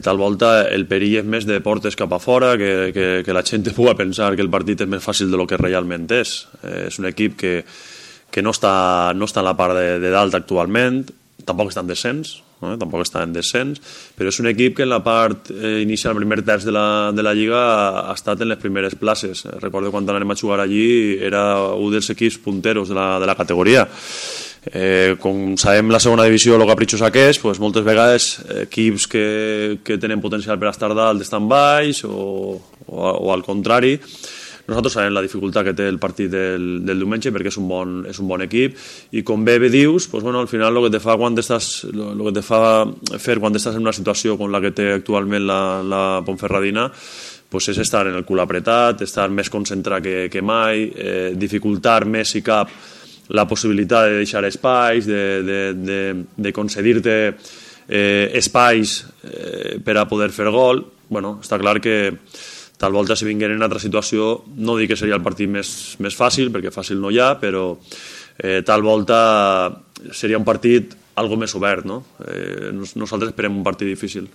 Tal volta el perill és més de portes cap a fora, que la gent pugui pensar que el partit és més fàcil del que realment és. És un equip que no està en la part de dalt actualment, tampoc està en descens, però és un equip que en la part inicial, el primer terç de la Lliga, ha estat en les primeres places. Recordo quan anem a jugar allí, era un dels equips punteros de la categoria. Com sabem la segona divisió el capritxosa que és, moltes vegades equips que tenen potencial per estar dalt estan baix o al contrari. Nosaltres sabem la dificultat que té el partit del diumenge perquè és un bon equip i com bé dius, al final el que te fa fer quan estàs en una situació com la que té actualment la Ponferradina és estar en el cul apretat, estar més concentrat que mai, dificultar més si cap la possibilitat de deixar espais, de concedir-te espais per a poder fer gol. Està clar que tal volta si vingueren en altra situació no dic que seria el partit més fàcil, perquè fàcil no hi ha, però tal volta seria un partit algo més obert. Nosaltres esperem un partit difícil.